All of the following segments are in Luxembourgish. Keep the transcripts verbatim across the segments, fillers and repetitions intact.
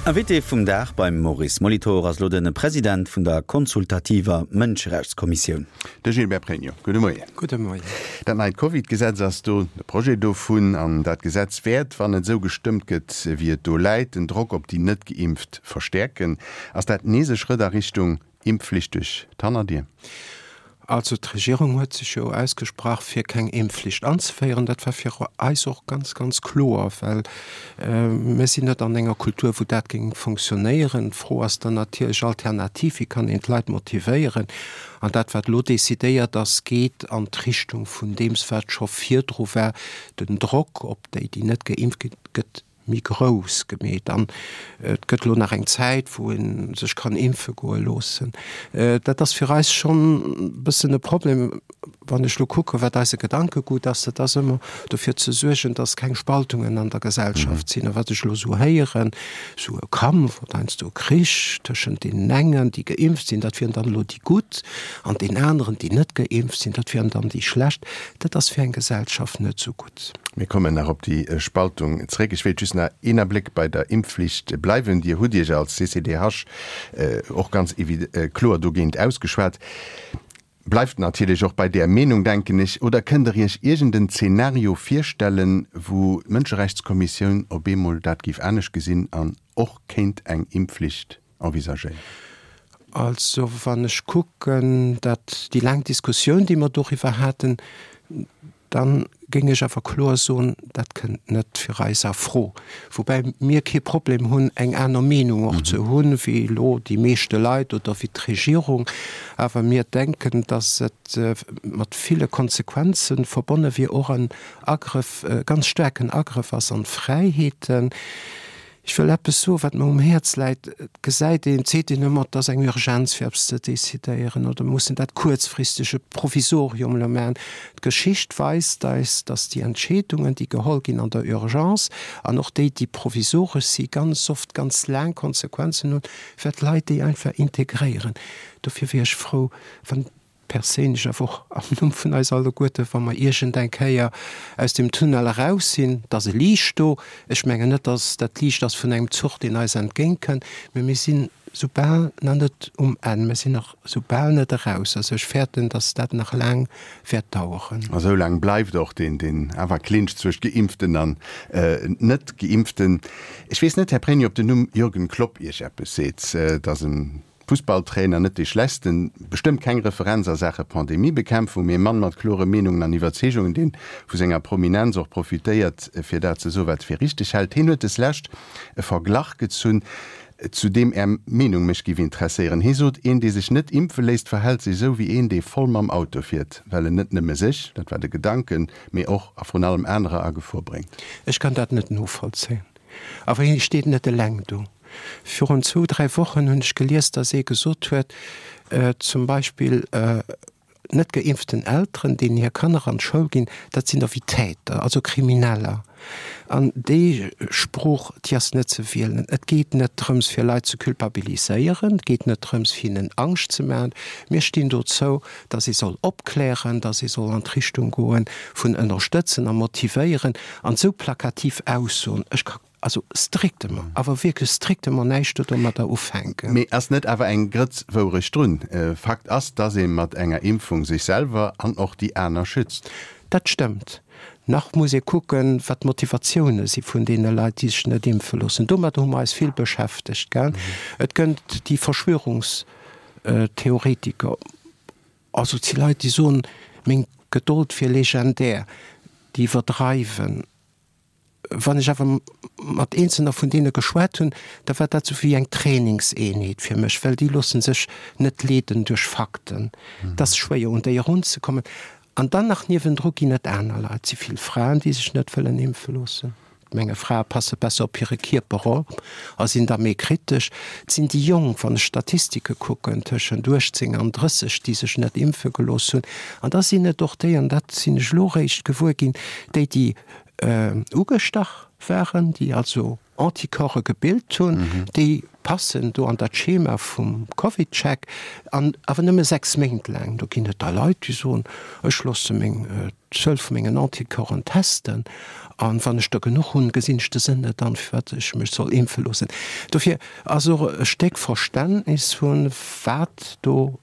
Invité vum Dag beim Maurice Molitor ass lo de President vun der konsultativer Mënscherechtskommissioun. De Gilbert Pregno. Gudde Moien. Gudde Moien. Dat neit Covid-Gesetz ass do, de Projet dovun, an dat Gesetz wäert, wann et esou gestëmmt gëtt, wéi et do läit, den Drock op déi net geimpft verstäerken. Ass dat nees e Schrëtt a Richtung Impfflicht duerch d'Hannerdier? Also d'Regierung huet sech jo ausgesprach, fir keng Impfflicht anzeféieren. Dat war fir eis och ganz, ganz kloer, well mir sinn net an enger Kultur, wou dat géing fonctionnéieren. D'Fro ass dann natierlech alternativ, wéi kann een d'Leit motivéieren? An dat, wat elo decidéiert ass, geet an d'Richtung vun deems, wat scho virdru war, den Drock op déi, déi net geimpft ginn, gëtt méi grouss gemeet. An et gëtt elo nach eng Zäit, wou ee sech kann impfe goe loossen. Dat ass fir eis schonn e bëssen e Problem, wann ech elo kucken, wat eise Gedankegut ass. Dat ass ëmmer dofir ze suergen, dass keng Spaltungen an der Gesellschaft sinn. A wat ech elo esou héieren, esou e Kampf oder heiansdo e Krich tëschent deenen engen, déi geimpft sinn, dat wieren dann elo déi Gutt, an deenen aneren, déi net geimpft sinn, dat wieren dann déi Schlecht, dat ass fir eng Gesellschaft net esou gutt. Mir kommen nach op déi Spaltung zréck. Ech wéilt just nach een Abléck bei der Impfflicht bleiwen. Dir hutt Iech als C C D H och ganz kloer dogéint ausgeschwat. Bleift natierlech och bei där Meenung, denken ech. Oder kënnt Der Iech iergend en Zeenario virstellen, wou d'Mënscherechtskommissioun op eemol dat géif anescht gesinn an och kéint eng Impfflicht envisagéieren? Also wann ech kucken, dat déi laang Diskussioun, déi mer doriwwer haten, dann géing ech awer kloer soen, dat kënnt net fir eis a Fro. Woubäi mir kee Problem hunn, eng aner Meenung och ze hunn, wéi elo déi meeschte Leit oder wéi d'Regierung. Awer mir denken, dass et mat ville Konsequenze verbonne wier, och en Agrëff, e ganz staarken Agrëff ass an d'Fräiheeten. Ech wëll eppes soen, wat mer um Häerz läit. Et gesäit een, et seet een ëmmer, et ass eng Urgenz fir eppes ze decidéieren oder mir mussen dat kuerzfristeg, e Provisorium elo maachen. D'Geschicht weist eis, dass déi Entscheedungen, déi geholl ginn an der Urgence an och déi, déi provisoresch si ganz oft ganz laang Konsequenzen hunn, well d'Leit déi einfach integréieren. Dofir wier ech frou, wann perséinlech, awer och am Numm vun eis alleguerten, wa mer iergend eng Kéier aus dem Tunnel eraus sinn, et ass e Liicht do. Ech mengen net, dass dat Liicht ass vun engem Zuch, deen eis entgéintkënnt, mä mir sinn soubal nach net um Enn, mir sinn nach soubal net eraus. Also ech fäerten, dass dat nach laang wäert daueren. A sou laang bleift och deen, deen awer Clinch zwëscht Geimpften an Net-Geimpften. Ech weess net, Här Pregno, ob den Numm Jürgen Klopp Iech eppes seet. Et ass en Fussballtrainer, net dee schlechtsten, bestëmmt keng Referenz a Saache Pandemiebekämpfung, mee e Mann mat klore Meenungen an Iwwerzeegungen, deen vu senger Prominenz och profitéiert, fir dat ze soen, wat e fir richteg hält. Hien huet deslescht e Verglach gezunn, zu deem Är Meenung mech giff interesséieren. Hie sot, Een, dee sech net impfe léisst, verhält sech esou wéi een, dee voll mam Auto fiert, well en net nëmme sech, dat war de Gedanken, mee och a vrun allem anerer a Gefor bréngt. Ech kann dat net novollzéien. Awer hie steet net eleng do. Virun zwou, dräi Wochen hunn ech gelies, datt ee gesot huet, zum Beispill net geimpften Elteren, deenen hir Kanner an d'Schoul ginn, dat sinn da wéi Täter, also Krimineller. An déi Sprooch, déi ass net ze wielen. Et geet net drëms, fir Leit ze culpabiliséieren, et geet net drëms, fir hinnen Angscht ze maachen. Mir stinn dozou, datt ee soll opklären, datt ee soll an d'Richtung goen vun ënnerstëtzen a motivéieren. An esou plakativ Aussoen, ech ka also strictement, awer wierklech strictement näischt domadder ufänken. Mee ass net awer eng Grëtz Wourecht drun? Fakt ass, dass ee mat enger Impfung sech selwer an och déi aner schützt. Dat stëmmt. Nach muss ee kucken, wat d'Motivatioune si vun deene Leit, déi sech net impfe loossen. Domadder hu mer eis vill beschäftegt, gell. Et gënnt déi Verschwörungstheoretiker, also et si Leit, déi soen, meng Gedold wier legendär, déi iwwerdreiwen. Wann ech awer mat eenzelner vun deene geschwat hunn, da war dat sou wéi eng Trainingseenheet fir mech, well déi loosse sech net leeden duerch Fakten. Et ass schwéier, un déi erunzekommen. An dann nach niewendru ginn et aner Leit, et si vill Fraen, déi sech net wëllen impfe loossen. Ech menge Frae passe besser op hire Kierper op a sinn da méi kritesch. Et sinn déi Jonk, wann ech Statistike kucken, tëschent uechtzéng an drësseg, déi sech net impfe gelooss hunn. An da sinn et och déi, an dat sinn ech elo eréischt gewuer ginn, déi, déi ugestach waren, déi also Anticorpse gebilt hunn, déi passen do an dat Schema vum CovidCheck, an awer nëmme sechs Méint laang. Do ginn et da Leit, déi soen, ech loosse meng, d'Zuel vu mengen Anticorpsen testen An wann ech der genuch hunn, gesinn ech de Sënn net an, firwat ech mech soll impfe loossen. Dofir ass och e Stéck Verständnis hunn, wat do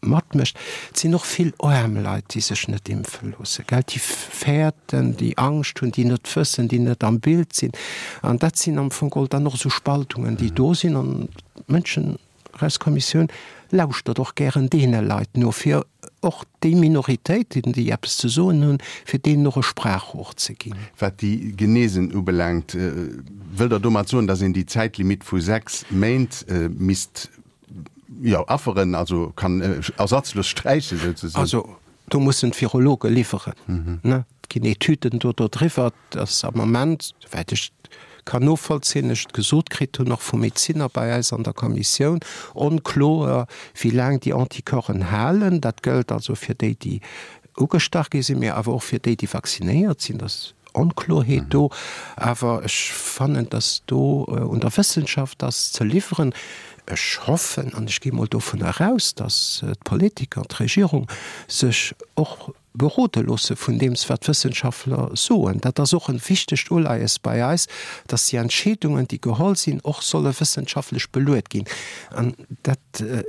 matmécht. Et sinn och vill aarm Leit, déi sech net impfe loossen, gell, déi fäerten, déi Angscht hunn, déi net wëssen, déi net am Bild sinn. An dat sinn am Fong geholl dann och esou Spaltungen, déi do sinn. An d'Mënscherechtskommissioun lauschtert och gären deene Leit no, fir och déi Minoritéiten, déi eppes ze soen hunn, fir deenen och e Sprachrohr ze ginn. Wat déi Genesen ubelaangt, wëllt Der domat soen, datt een déi Zäitlimitt vu sechs Méint misst, jo, afferen, also kann ersatzlos sträichen souzesoen? Also do mussen d'Virologe liwweren. Et ginn Etüden do dodriwwer, dass am Moment, souwäit ech kann novollzéien, ech et gesot kritt hunn, och vu Medezinner bei eis an der Kommissioun, onkloer, wéi laang déi Anticorpsen halen. Dat gëllt also fir déi, déi ugestach gi sinn, mee awer och fir déi, déi vaccinéiert sinn. Dat ass Onkloerheet do. Awer ech fannen, dass do un der Wëssenschaft ass ze liwweren. Ech hoffen an ech gi mol dovun eraus, dass d'Politiker, d'Regierung sech och berode loosse vun deems, wat d'Wëssenschaftler soen. Dat ass och e wichtegt Uleies bei eis, dass déi Entscheedungen, déi geholl sinn, och solle wëssenschaftlech beluet ginn. An dat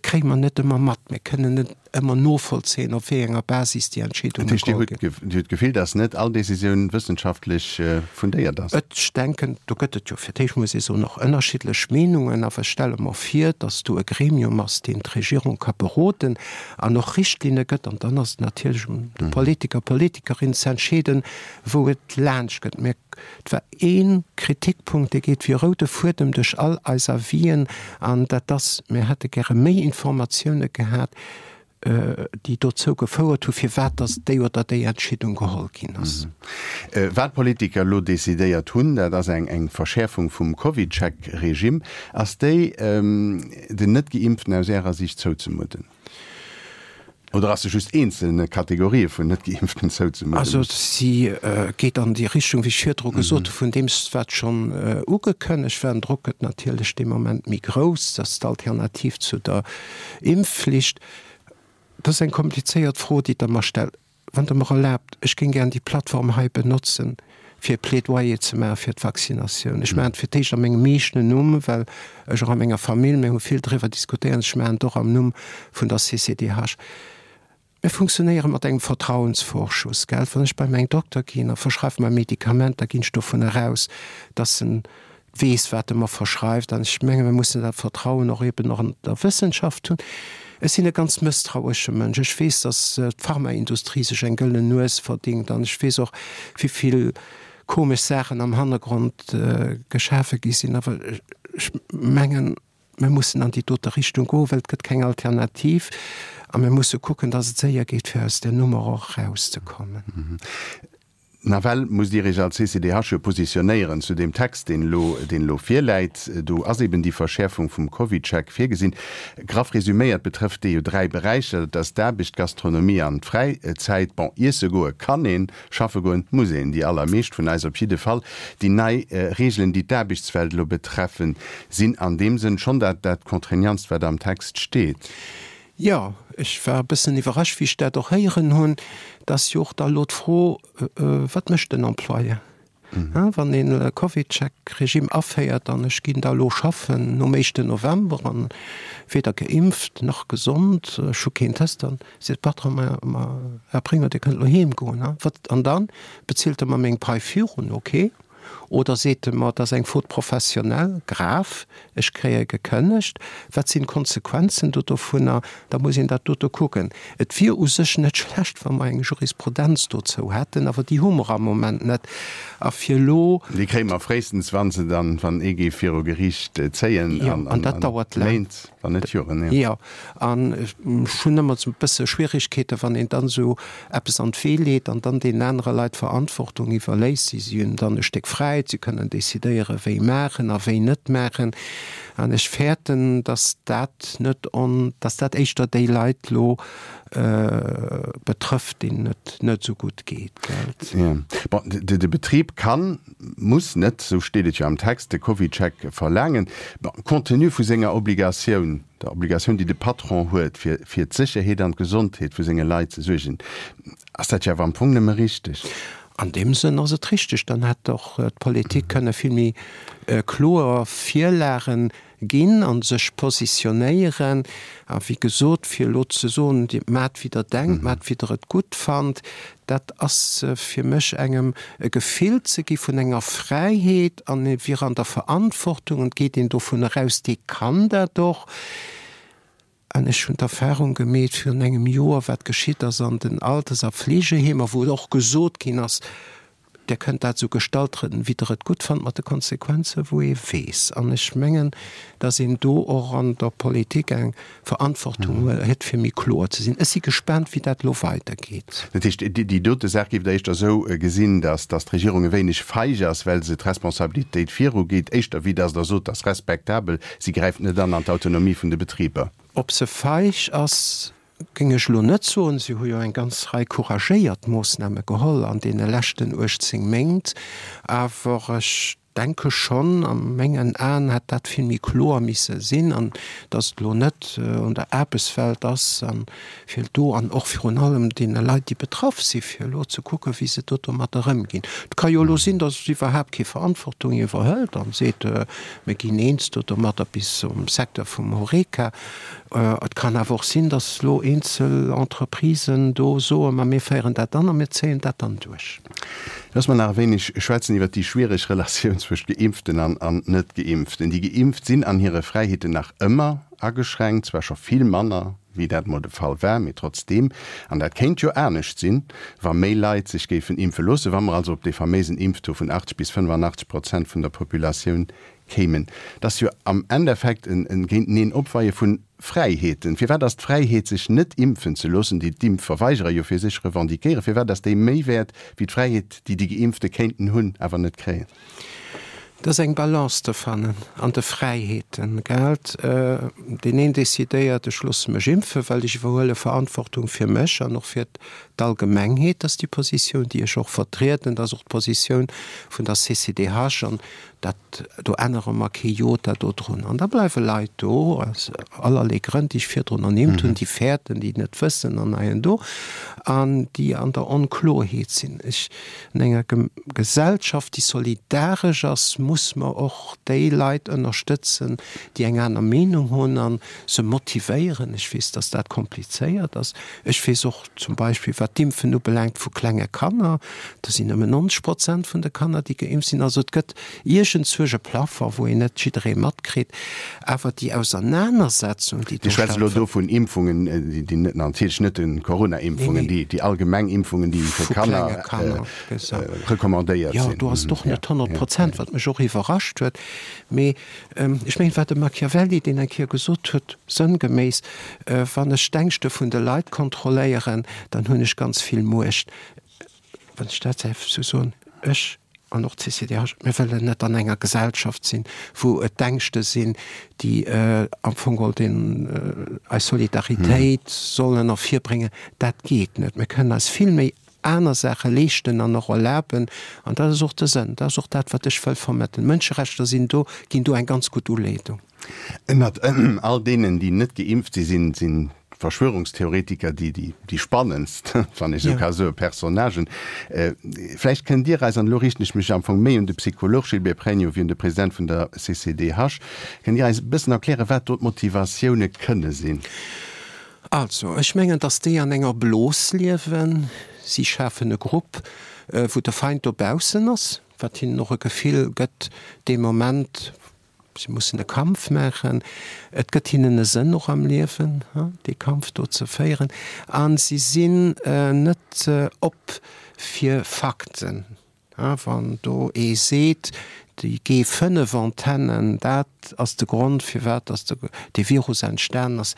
kréie mer net ëmmer mat. Mir kënnen net ëmmer novollzéien, op wéi enger Basis déi Entscheedunge Dat heescht, geholl Dir ginn. hutt Dir hutt d'Gefill, dass net all Décisioun wëssenschaftlech fundéiert ass? Ech denken, do gëtt et jo fir d'éischt, muss ee soen, och ënnerschiddlech Meenungen. Awer ech stelle mer vir, dass do e Gremium ass, deen d'Regierung ka beroden an och Richtlinne gëtt. An dann ass et natierlech un de Politiker, Politikerin ze entscheeden, wou et laanscht gëtt. Mä et war ee Kritikpunkt, dee geet wéi e roude Fuedem duerch all eis Avisen, an dat ass, Mir hätte gäre méi Informatioune gehat, déi dozou gefouert hu firwat datt déi oder déi Entscheedung geholl ginn ass. Wat d'Politiker elo decidéiert hunn, dat ass eng Verschäerfung vum CovidCheck-Regime. Ass déi den Net-Geimpften aus Ärer Siicht zouzemudden? Oder ass se just eenzelne Kategorië vun Net-Geimpften zouzemudden? Also si geet an déi Richtung, wéi ech virdru gesot hu, vun deem wat schonn ugekënnegt war. Den Drock gëtt natierlech dee Moment méi grouss. Dat ass d'Alternativ zu der Impfflicht. Dat ass eng komplizéiert Fro, déi Der mer stellt. Wann Der mer erlaabt, ech géing gären déi Plattform hei benotzen, fir e Plädoyer ze maache fir d'Vaccinatioun. Ech maachen et fir d'éischt a mengem eegenen Numm, well ech och a menger Famill, mir hu vill driwwer diskutéiert, ech maachen et och am Numm vun der C C D H. Mir funktionéiere mat engem Vertrauensvorschuss, gell. Wann ech bei mäin Dokter ginn a verschreift mer e Medikament, da ginn ech dovun eraus, dass en weess, wat e mer verschreift. An ech menge mir mussen dat Vertrauen och eben och an der Wëssenschaft hunn. Ech sinn e ganz mësstrauesche Mënsch. Ech weess, datt d'Pharmaindustrie sech eng gëllen Nues verdingt an ech weess och, wéi vill komesch Saachen am Hannergrond geschafe gi sinn. Awer ech mengen, mir mussen an déi dote Richtung goen, well et gëtt keng Alternativ. A mir musse kucken, datt et séier geet, fir aus där Nummer och erauszekommen. Nawell musst Dir Iech als C C D H jo positionéieren zu deem Text, deen elo, deen elo virläit. Do ass eben déi Verschäerfung vum CovidCheck virgesinn. Graff resüméiert betrëfft dee jo dräi Beräicher, dat ass d'Aarbecht, d'Gastronomie an d'Fräizäit. Bon, iesse goe kann een, schaffe goen muss een, déi allermeescht vun eis op jidde Fall. Déi nei Reegelen, déi d'Aarbechtswelt elo betreffen, sinn an deem Sënn schonn dat, dat Contraignantst, wat am Text steet. Jo, ech war e bëssen iwwerrascht, wéi ech dat och héieren hunn. Et ass jo och da elo d'Fro, Wat mécht den Employeur, wann een e CovidCheck-Regime aféiert an ech ginn da elo schaffen nom éischten November an weder geimpft nach gesond, ech hu keen Test, dann seet de Patron, Ma, ma Här Pregno, Dir kënnt elo heem goen. Wat? An dann bezilt e mer meng Pai virun, okay. Oder seet e mer, et ass eng Faute professionnelle, grave, ech kréie gekënnegt, wat sinn d'Konsequenzen do dovunner? Da muss een dat dote kucken. Et wier u sech net schlecht, wa mer eng Jurisprudenz dozou hätten, awer déi hu mer am Moment net. A fir elo. Déi kréie mer fréistens, wa se dann, wann ee géif viru Geriicht zéien, an Méint, wann net Joren. Jo, an ech hunn ëmmer esou e bësse Schwierigkeeten, wann een dann esou eppes an d'Wee leet an dann deenen anere Leit d'Verantwortung iwwerléisst. Si hunn dann e Stéck Fräiheet, si kënnen decidéieren, wéi maachen a wéi net maachen. An ech fäerten, dass dat net on, dass dat éischter déi Leit elo betrëfft, deenen et net esou gutt geet, gell? Jo. Bon, de Betrib kann, muss net, esou steet et jo am Text, de CovidCheck verlaangen. Bon, compte tenu vu senger Obligatioun, der Obligatioun, déi de Patron huet, fir fir d'Sécherheet an d'Gesondheet vu senge Leit ze suergen, ass dat jo awer am Fong nëmme richteg. An deem Sënn ass et richteg, dann hätt och d'Politik kënne vill méi kloer Virlagen ginn a sech positionéieren. A wéi gesot, fir elo ze soen, Dir maacht wéi Der denkt, maacht wéi Der et gutt fannt, dat ass fir mech engem e Gefill ze gi vun enger Fräiheet an e wier an der Verantwortung an et geet een dovun eraus, dee kann dat och. An ech hunn d'Erfahrung gemeet virun engem Joer, wat geschitt ass an den Alters a Fleegeheemer, wou och gesot ginn ass, Dir kënnt dat esou gestalten, wéi Der et gutt fannt, mat de Konsequenze wou ee weess. An ech mengen, dass een do och an der Politik eng Verantwortung huet, fir méi kloer ze sinn. Ech si gespaant, wéi dat elo weidergeet. Dat heescht, déi dote Saach géift Der éischter esou gesinn, dass d'Regierung e wéineg feig ass, well se d'Responsabilitéit virugeet, éischter wéi dass Der sot, dass respektabel, si gräift net an an d'Autonomie vun de Betriber. Ob se feig ass, géing ech elo net soen. Si hu jo eng ganz Rei couragéiert Moossname geholl an deene leschten uechtzéng Méint. Awer ech denke schonn, a mengen Aen hätt dat vill méi kloer misse sinn, an datt et elo net un der Aarbechtswelt ass a fir do an och virun allem deene Leit, déi betraff si fir elo ze kucken, wéi se do domadder ëmginn. Et ka jo elo sinn, datt iwwerhaapt kee Verantwortung iwwerhëlt an seet, mir ginn eens do domadder bis um Secteur vum Horeca. Et kann awer och sinn, datt elo eenzel Entreprisen do soen, ma mir féieren dat an a mir zéien dat dann duerch. Looss mer nach e wéineg schwätzen iwwert déi schwiereg Relatioun zwëscht Geimpften an an Net-Geimpften. Déi Geimpft sinn an hire Fräiheeten nach ëmmer ageschränkt, zwar scho vill manner, wéi dat mol de Fall war, mee trotzdeem. An dat kéint jo anescht sinn, wa méi Leit sech géifen impfe loossen, wa mer also op dee faméisen Impftaux vun achtzeg bis fënnefanachteg Prozent vun der Populatioun kéimen. Dat ass jo am Endeffekt en Géinteneen opweie vu Fräiheeten. Firwat ass d'Fräiheet, sech net impfen ze loossen, déi d'Impfverweigerer jo fir sech revendiquéieren, firwat ass déi méi wäert wéi d'Fräiheet, déi déi Geimpfte kéinten hunn, awer net kréien? Et ass eng Balance ze fannen an de Fräiheeten, gelt? Deen een decidéiert, ech loosse mech impfen, well ech iwwerhuele Verantwortung fir mech an och fir d'Allgemengheet. Dat ass déi Positioun, déi ech och vertrieden. Dat ass och d'Positioun vun der C C D H an dat, do ännere mer kee Jota dodrun. An da bleiwe Leit do, aus allerlee Grënn, déi ech virdrun ernimmt hunn, déi fäerten, déi net wëssen an hei an do, an déi an der Onkloerheet sinn. Ech, an enger Gesellschaft, déi solidaresch ass, muss mer och déi Leit ënnerstëtzen, déi eng aner Meenung hunn a se motivéieren. Ech weess, dass dat komplizéiert ass. Ech weess och zum Beispill, wat d'Impfen ubelaangt vu klenge Kanner, do sinn nëmmen nonzeg Prozent vun de Kanner, déi geimpft sinn. Also et gëtt iergendzwousch e Plafond, wou een net jidderee matkritt. Awer déi Ausernanersetzung, déi do stattfënnt. Dir schwätzt elo do vun Impfungen, déi net, natierlech net de Corona-Impfungen, déi allgemeng Impfungen, déi fir Kanner recommandéiert sinn. Jo, do ass et och net honnert Prozent, wat mech och iwwerrascht huet. Mee ech mengen, wat de Machiavelli, deen eng Kéier gesot huet, sënngeméiss, Wann ech d'Ängschte vun de Leit kontrolléieren, dann hunn ech ganz vill Muecht. Wann ech dat däerf esou soen, ech an och d'C C D H, mir wëllen net an enger Gesellschaft sinn, wou et d'Ängschte sinn, déi am Fong geholl den, eis Solidaritéit sollen ervirbréngen. Dat geet net. Mir kënnen eis vill méi aner Saache leeschten an och erlaben. An dat ass och de Sënn, dat ass och dat, wat ech wëll vermëttelen. D'Mënscherechter sinn do, ginn do eng ganz gutt Uleedung. Ënnert all deenen, déi net geimpft si sinn, sinn d'Verschwörungstheoretiker déi déi spannendst, wann ech esou ka soen, Personnagen. Vläicht kënnt Dir eis, an elo riichten ech mech am Fong méi un de Psycholog Gilbert Pregno wéi un de President vun der C C D H, kënnt Dir eis e bëssen erklären, wat do d'Motivatioune kënne sinn? Also, ech mengen, dass déi an enger Blos liewen. Si schafen e Grupp, wou de Feind dobaussen ass, wat hinnen och e Gefill gëtt dee Moment, si mussen e Kampf maachen. Et gëtt hinnen e Sënn och am Liewen, dee Kampf do ze féieren. A si sinn net op fir Fakten. Wann do ee seet, déi G fënnef Antennen, dat ass de Grond, firwat datt dee Virus entstanen ass,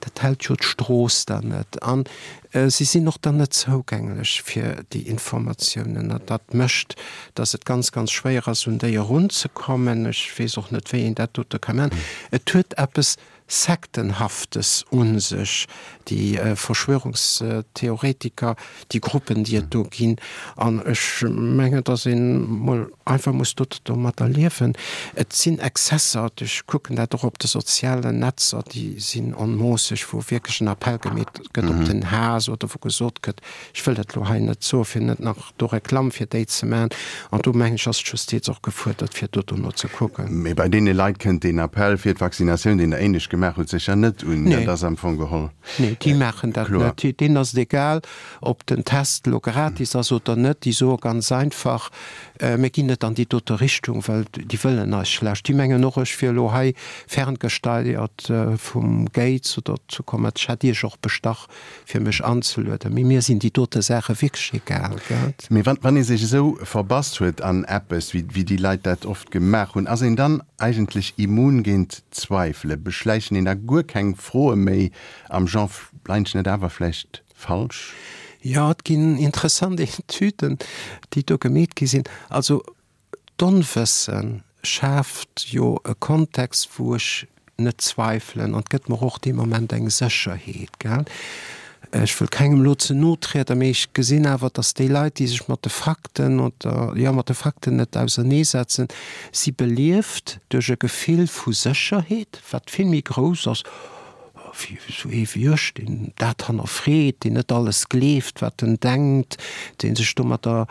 dat hält jo d'Strooss dann net. A si sinn och dann net zougänglech fir déi Informatiounen. An dat mécht, datt et ganz, ganz schwéier ass, un déi erunzekommen. Ech weess och net, wéi een dat dote ka maachen. Et huet eppes Sektenhaftes un sech, déi Verschwörungstheoretiker, déi Gruppen, déi et do ginn. An ech mengen, dass een mol einfach muss do domatter liewen. Et sinn Exzesser, ech kucken dat och op de sozialen Netzer, déi sinn onmoosseg, wou wierklech en Appell gemeet gëtt op den Haass oder wou gesot gëtt, ech wëll dat elo hei net soen, fir net nach do Reklamm fir déi ze maachen. An do mengen ech, ass d'Justiz och gefuerdert, fir do dono ze kucken. Mee bei deene Leit kënnt deen Appell fir d'Vaccinatioun, deen Der éinescht gemaach hutt, sécher net un. Nee. Dat ass am Fong geholl Nee, déi maachen dat kloer. net. Deenen ass et egal, ob den Test elo gratis ass oder net. Déi soe ganz einfach, Mir ginn net an déi dote Richtung, well déi wëllen eis schlecht. Déi mengen och, ech wier elo hei ferngesteiert vum Gates oder zu kommen. Ech hätt Iech och bestach, fir mech anzelueden. Mee mir sinn déi dote Saache wierklech egal, gell? Mee wann, wann ee sech esou verbass huet an eppes, wéi, wéi déi Leit dat oft gemaach hunn, ass een dann eigentlech immun géint Zweifele? Beschläichen een da guer keng Froe méi am Genre, Leien ech net awer vläicht falsch? Jo, et ginn interessant Etüden, déi do gemeet gi sinn. Also d'Onwësse schaaft jo e Kontext, wou ech net zweifelen an et gëtt mer och dee Moment eng Sécherheet, gell. Ech wëll kengem elo ze no trieden, mee ech gesinn awer, datt déi Leit, déi sech mat de Fakten oder, jo, mat de Fakten net auserneesetzen, si belieft duerch e Gefill vu Sécherheet, wat vill méi grouss ass wéi esou ee wéi ech, deen dat hannerfreet, deen net alles gleeft, wat en denkt, dee sech domatter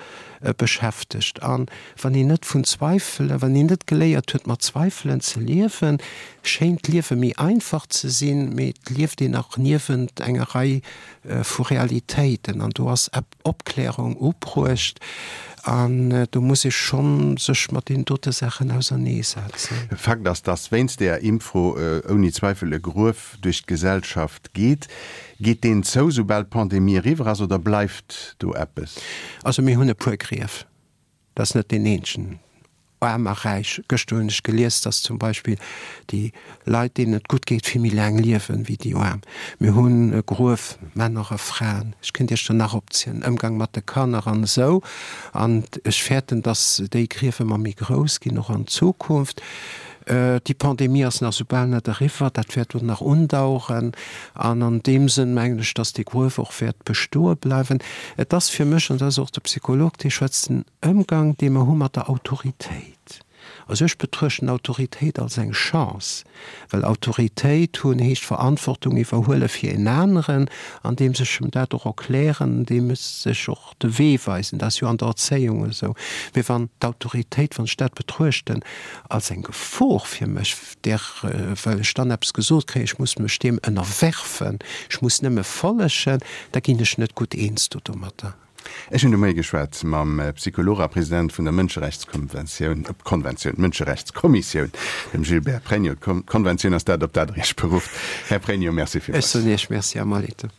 beschäftegt. A wann een net vun Zweifelen, wann een net geléiert huet, mat Zweifelen ze liewen, schéint d'Liewe méi einfach ze sinn, mee et lieft een nach niewent enger Rei vu Realitéiten an do ass Opklärung ubruecht an do muss ee schonn sech mat deenen dote Saachen auserneesetzen. Fakt ass, dass wéinst deeër Impffro ouni Zweifel e Gruef duerch d'Gesellschaft geet. Geet deen zou, soubal d'Pandemie eriwwer ass, oder bleift do eppes? Also mir hunn e puer Grief. Dat ass net deen eenzegen. Aarm a Räich. Gëschter hunn ech gelies, dass zum Beispill déi Leit, deenen et gutt geet, vill méi laang liewen wéi déi Aarm. Mir hunn e Gruef, Männer a Fraen, ech kéint Iech der nach opzielen, Ëmgang mat de Kanner an esou. An ech fäerten, dass déi Grief ëmmer méi grouss ginn, och an Zukunft. Déi Pandemie ass nach soubal net eriwwer, dat wäert och nach undaueren. An an deem Sënn mengen ech, dass dee Gruef och wäert bestoe bleiwen. Et ass fir mech, an dat ass och de Psycholog, dee schwätzt, den Ëmgang, dee mer hu mat der Autoritéit. Also ech betruechten Autoritéit als eng Chance, well Autoritéit hunn heescht Verantwortung iwwerhuele fir en aneren, andeems ech em dat och erklären, andeems ech och de Wee weisen. Dat ass jo an der Erzéiung esou. Mee wann d'Autoritéit, wann ech dat betruechten als eng Gefor fir mech, där, well ech dann eppes gesot kréien, ech muss mech deem ënnerwerfen, ech muss nëmme follegen, da ginn ech net gutt eens do domatter. Ech hunn de Moie geschwat mam Psycholog a President vun der Mënscherechtskonventioun, Konventioun, Mënscherechtskommissioun, dem Gilbert Pregno. D'Konventioun ass dat, op dat Der Iech berufft. Här Pregno, Merci villmools. Ech soen Iech Merci, Här Molitor.